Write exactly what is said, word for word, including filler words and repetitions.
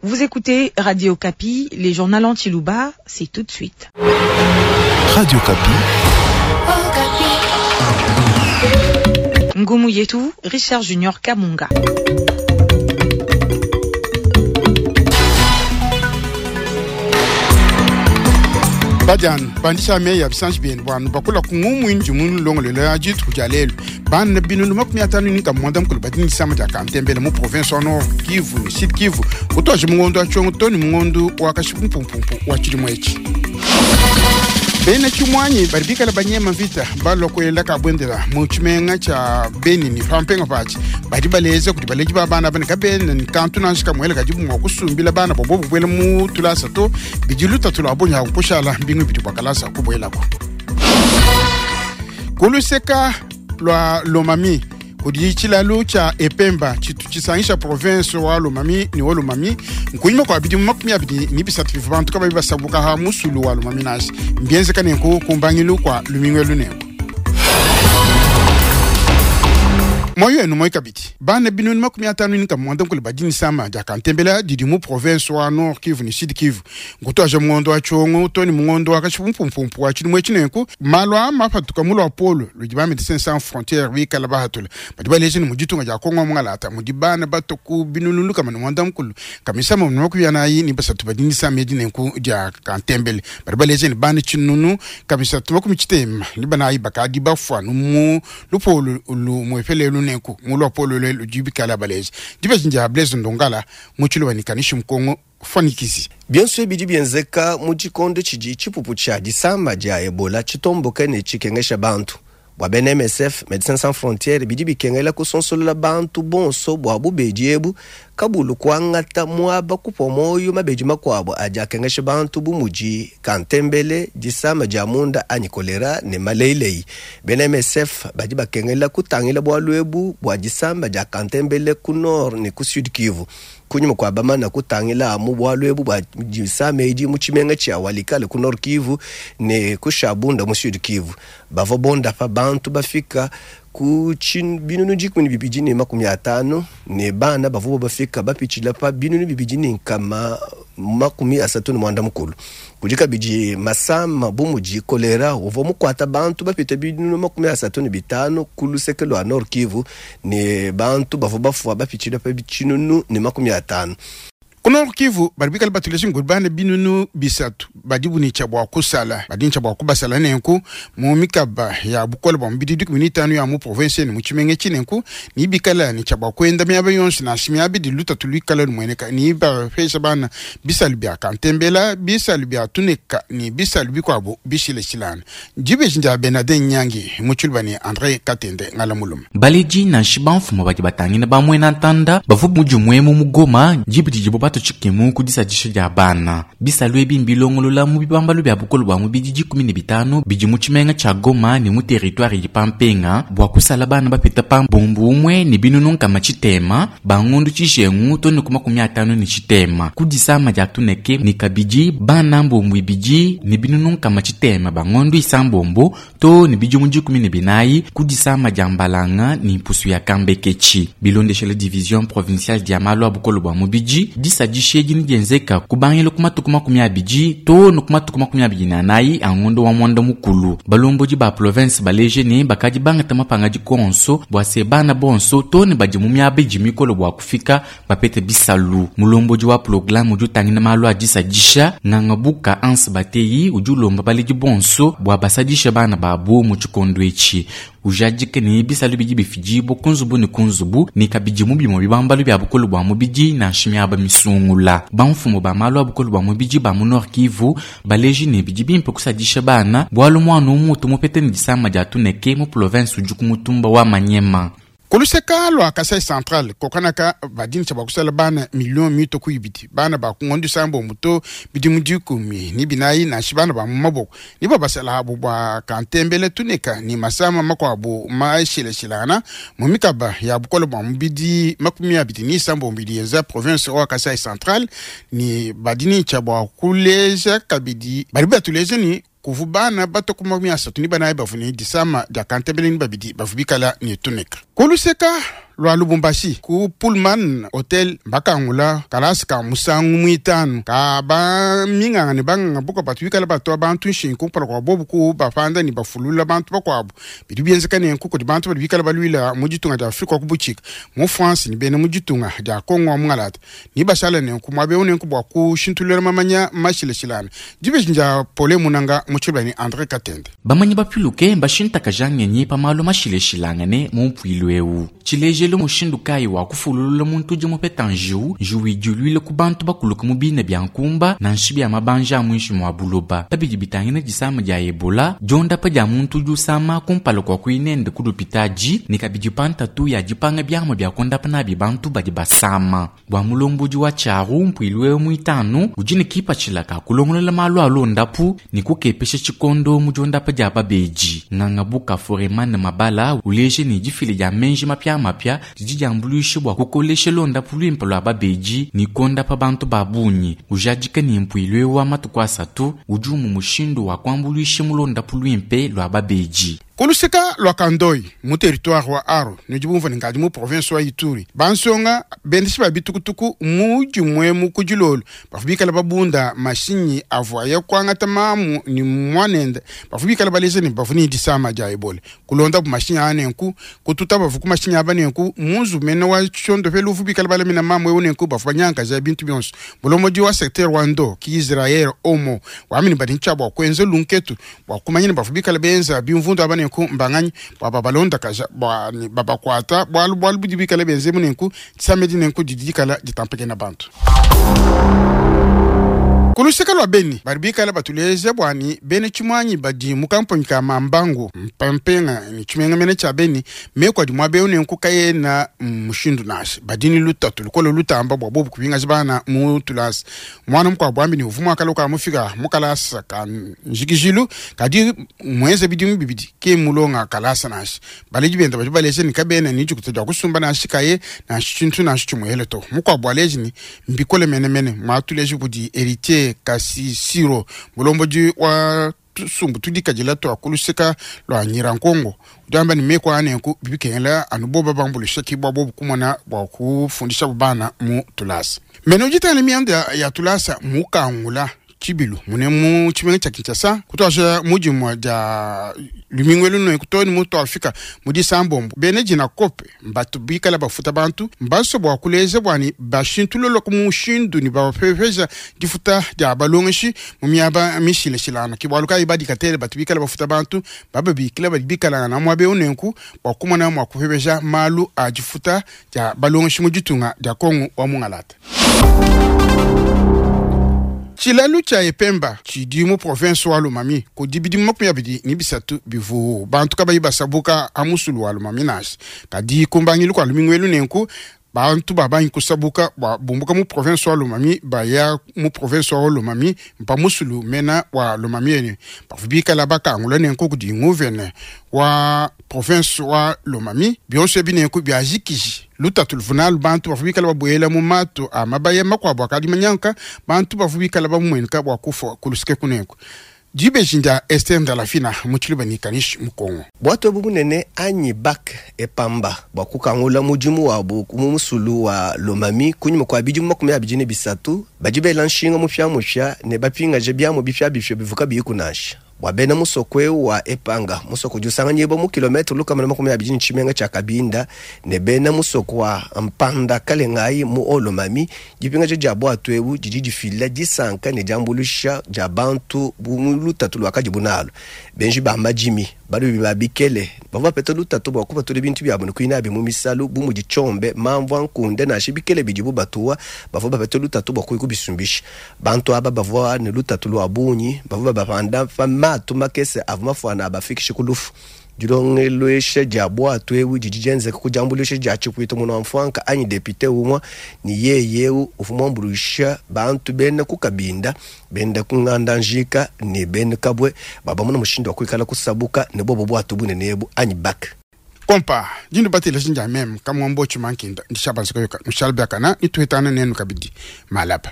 Vous écoutez Radio Okapi, les journaux en tshiluba, c'est tout de suite. Radio Okapi. Ngoumou Yetou, Richard Junior Kamunga. Badian bandisha me ya bisanji bien bwanu bakula kungumu inji munu longolelo ya jitu jalelu bana binunu makumi atanu ni kamwanda mukulu badini sama ja kantembele mu province wa Nord Kivu ni Sud Kivu kutoje mungondo wa chongo toni mungondo wa kashipumpumpu wa chilimo echi bena chimwanyi bali bikala banyema vita balokwela kabwendela mu chimenga cha Beni ni pampenga pachi bali baleza kuti baleji ba bana bane kabene ni kantu nanshi kamwele kajibu mwa kusumbila bana bobo bubwela mu tulasa to bijiluta tulabonya kushala mbingu bitu bakalasa kubwelako kuluseka lwa Lomami kudi chilalu cha Epemba chitu chisangisha province wa Lomami ni wa Lomami nkunyima kwa bidi makumi abidi ni bisatu bivantu kaba bibasabuka ha musulu wa Lomami nasi mbienze kanenku kumbangilu kwa lumingwe lunenku moyo enu moyo kabiti bana binunu makumi atanu ni kamwanda nkulu badini sama ja kantembela didi mu province wa Nord Kivu ni Sud Kivu nkuto aja mungondo wa chongo toni mungondo wa kashipumpumpu wa chimwe chinenku malwa mapatuka mulo wa polo ludi ba Médecins Sans Frontières bikala bahatula badi baleje ni mujitunga ja Kongo mungalata mudi bana batoku binunu kama mwanda nkulu kamisa mu makumi anayi ni basatu badini sama dinenku ja kantembele badi baleje ni bana chinunu kamisa tumakumi chitema ni bana bakadi bafwa mu lupolo lu mwefele lunenku mulo polo le lujibikala balezi dibe Blaise Ndongala muchilo banikanishi mkongo fanikizi Bionso bidi bienzeka mu tshikondo tshidi tshipupu tshia disamba dia Ebola tshitomboka ne tshikengesha bantu bua bena M S F Médecins Sans Frontières bidi bikengela kusonsolola bantu bonso bua bubedi ebu kabulu kuangata muaba kupua moyo mabedi makuabu adi akengesha bantu bu mudi kantembele disama dia munda anyi kolera ne maleilei. Bena M S F badi bakengela kutangila bualu ebu bua disamba dia kantembele ku nord ne ku sud Kivu kunyuma kwa bamana kutangila mu bualu ebu bua disama edi mu tshimenga tshia Walikale ku Nord Kivu ne ku Shabunda mu Sud Kivu bavua bonda pa bantu bafika ku binunu dikumi ne bibidi ne makumi atanu ne bana bavua bafika bapitshila pa binunu bibidi ne nkama makumi asatu ne mwanda mukulu kudi kabidi masama bu mudi kolera uvua mukuata bantu bapita binunu makumi asatu ne bitanu ku luseke lua Nord Kivu ne bantu bavua bafua bapitshila pa tshinunu ne makumi atanu. Ku Nord Kivu bali bikala batuleshe ngudi bana binunu bisatu badi bunicha bua kusala badi ncha bua kubasala nenku mu mikaba ya bukola bua mubidi dikumi n'itanu ya mu province ne mu tshimenge tshinenku ni bikala ni cha bua kuenda miaba yonso nansha miaba idi lutatu luikala lumueneka ni bapesha bana bisalu bia kantembela bisalu bia tuneka ni bisalu bikuabu bishileshilana dibeji ndia Benadin Nyangi mu tshiluba ni André Katende ngala mulume baleji nansha bamfumu badi batangina bamuena ntanda bavua mudimue mu Goma dibidi dibo batu tshikemu ku disadisha dia bana bisalu ebi mbilongolola mu bibambalu bia bukolo bua mubidi dikumi ne bitanu bidi mu tshimenga tshia Goma ne mu territoire idi pampenga bua kusala bana bapita pa mbumbu umue ne binunu nkama tshitema bangondu tshijengu to ne ku makumi atanu ne tshitema ku disama dia tuneke ne kabidi bana mbumbu ibidi ne binunu nkama tshitema bangondu isambombo to ne bidimu dikumi ne binayi ku disama dia mbalanga ne mpusu ya kambeketshi bilondeshela division provinciale dia malu a bukolo bua mubidi disadisha edi dienzeka kubangila ku matuku makumi abidi to ne ku matuku makumi abidi na anayi a ngondo wa mwanda mukulu balombodi ba province baleje ne bakadi bangata mapanga dikonso bua se bana bonso to ne badi mu miaba idi mikolo bua kufika bapete bisalu mulombodi wa programme udi utangila malu a disadisha nganga buka anse bateyi udi ulomba baledi bonso bua basadisha bana babu mu tshikondo etshi ujadike ne bisalu bidi bifidibua ku nzubu ne ku nzubu ne kabidi mu bimue bibambalu bia bukolo bua mubidi nansha miaba misungula bamfumu ba malu a bukolo bua mubidi ba mu Nord Kivu baleji ne bidi bimpe kusadisha bana bualu muana umutu mupete ne disama dia tuneke mu province udi ku mutumba wa Manyema. Kuluseka lwa Kasai Central kokanaka badini cha bakusala bana million mito kuibidi bana ba kungondo sambo muto bidi mudikumi ni binayi na shibana ba maboko ni babasala abo bwa kantembele tuneka ni masama makwabo maishileshilana mu mikaba ya bukolo bwa mubidi makumi abidi ni sambo mbidi za province wa Kasai Central ni badini cha bwa kuleja kabidi bali batuleze ni kuvu bana bato kuma makumi asatu ni banayi bavuni disama dia kantembele ni babidi bavubikala ni tuneka. Kuluseka lwa Lubumbashi ku Pullman Hotel bakangula kalasi ka musangu mwitanu ka ba minganga ne banganga buka batu bikala batu abantu nshingu kumpala kwa bobu ku bapanda ni bafulula bantu bakwabo bidi byenzeka ne nkuko di bantu badi bikala balwila mu ditunga dia Afrika ku buchika mu France ni bene mu ditunga dia Kongo mungalata ni bashala ne nku mwabe une nku bwa ku shintulula mamanya mashileshilana dibe nja pole munanga muchibla ni André Katende. Bamanyi bapiluke mbashintaka jangenyi pamalo mashileshilangane mu mpwilu ewu tshilejelo mushindu kayi wa kufululula muntu udi mupeta njiwu njiwu idiluile ku bantu bakuluka mu bina bia nkumba na nshi bia mabanja a muinshi mua buloba pabidi bitangina disama dia ebola diondapa dia muntu udi usama kumpala kua kuinende ku lupitadi ne kabidi pantatu ya dipanga biamua bia kondapa nabi bantu badi basama bua mulombodi wa tshiaru mpwilu ewu muitanu udi ne kipatshila ka kulongolola malu a londapu ne kukepesha tshikondo mu diondapa dia babedi nganga buka Foreman Mabala uleje ne difile dia menji mapia mapia didi diambuluishe bua kukolesha londapu luimpe lua babedi ne kondapa bantu ba bungi ujadika ne mpuilu ewu wa matuku asatu udi umu mushindu wa kuambuluisha mu londapu luimpe lua babedi. Kuluseka lwa Kandoi mu territoire wa Aro nudi bumva ne ngadi mu province wa Ituri bansonga bendeshi ba bitukutuku mu dimue mu kudilolo bavua bikala babunda mashinyi avuaye kuangata mamu ni mwanende bavua bikala baleja ne bavua ne disama dia Ebola kulonda bu mashinyi aa nenku kututa bavua ku mashinyi aba nenku munzu mene wa tshondopelu uvu bikala balamina mamu ewu nenku bavua banyankaja bintu bionso mulomodi wa secteur wa Ndo ki Israel Omo wamini badi ntshia bua kuenza lunketu bua kumanya ne bavua bikala benza bimvundu aba nenku mbanganyi bua babalonda kaja bua ni babakwata bwalu bwalu budi bikala benze munenku samedi nenku didi dikala ditampekena bantu. Kuluseka lwa Beni badi bikala batuleze bwani bene tshimwanyi badi mu kamponyi ka Mambangu mpampenga ni tshimenga mene tshia Beni meko adi mwabe nenku kayena mushindu nashe badini lutatu lukolo lutamba bwa bobu kubinga bana mu tulasa mwana mukwa bwambi ni uvumwa kaloka mufika mukalasa ka njikijilu kadi mweze bidimu bibidi ke mulonga kalasa nashe baleji benda badi baleze ni kabene ni jikuta kusumba nashe kaye nashe tshintu nashe tshimuhele to mukwa bwaleji ni mbikole mene mene mwatuleje budi héritier kasi siro mulomboji wa tusumbu tudikajila twa kuluseka lwa Nyirankongo udamba ni meko anenku bibikengela anuboba bambulisha kibwa bobu kumona bwa kufundisha bana mu tulasa mene ujitana mianda ya tulasa mukangula chibilu mune mu chimenga cha Kinshasa kutwasha mujimu ja lumingwelu no kutoni mutu Afrika mudi sambombo bene jina kope mbatu bikala bafuta bantu mbaso bwa kuleza bwani bashintulolo kumushindu ni bapepeza difuta dia balongeshi mu miaba mishile shilana kibwaluka ibadi katele batu bikala bafuta bantu baba bikala bikala na mwabe unenku bwa kumona mwa kupepeza malu a difuta dia balongeshi mujitunga dia Kongo wa mungalata. Tshilalu tshia Epemba tshidi mu province wa Lomami kudi bidimu makumi abidi ni bisatu bivu bantu kabayi basabuka amusulu wa Lomami nashi kadi kumbangilu kwa lumingwelu nenku bantu babanyi kusabuka bwa bumbuka mu province wa Lomami baya mu province wa Lomami mpa musulu mena wa Lomami ene bavua bikala bakangula nenku kudi nguvene wa province wa Lomami bionso binenku byajikiji lutatu luvunalu bantu bavua bikala babuela mu matu a mabaya makuabu akadi manyanka bantu bavua bikala bamumuenuka bua kufa kulusike kunenku dibejinja Esther Ndalafina mu tshiluba ni kanishi mu Kongo. Bwatu ebu bunene anyi bak epamba bua kukangula mudimu wabu mu musulu wa Lomami kunyuma kua bidimu makumi abidi ne bisatu badi bela nshinga mupya-mupya ne bapingaje biamu bipya-bipya bivuka biyikunansha bua bena musoko ewu wa Epanga musoko udi usanganyibwa mu kilometre lukama na makumi abidi ne tshimenga tshia Kabinda ne bena musoko wa Mpanda Kalengayi mu Olomami dipingaja dia bwatu ebu didi difila disanka ne diambuluisha dia bantu bu mu lutatu luakadi bunalo benji ba madimi balubi ba bikele bavua bapeta lutatu bua kupatula bintu biabu ne kuinabi mu misalu bu mudi tshombe mamvua nkunde nansha bikele bidibu batuwa bavua bapeta lutatu bua kuyikubisumbisha bantu aba bavua ne lutatu lua bungi bavua babapanda pa matu makese avua mafuana abafikishe ku lufu dilongelwesha dia bwatu ebu didi dienzeka ku diambuluisha dia tshipuita munu wa mfuanka anyi depute umwa ni yeye ewu uvua muambuluisha bantu bena ku Kabinda benda ku nganda njika ne bena kabwe babamuna mushindu wa kuikala kusabuka ne bobo bwatu bunene ebu anyi bak kompa dindu batela jinja meme kamwambo chimankinda ndishabanzika yoka nushalbakana nituhetana nenu kabidi malapa.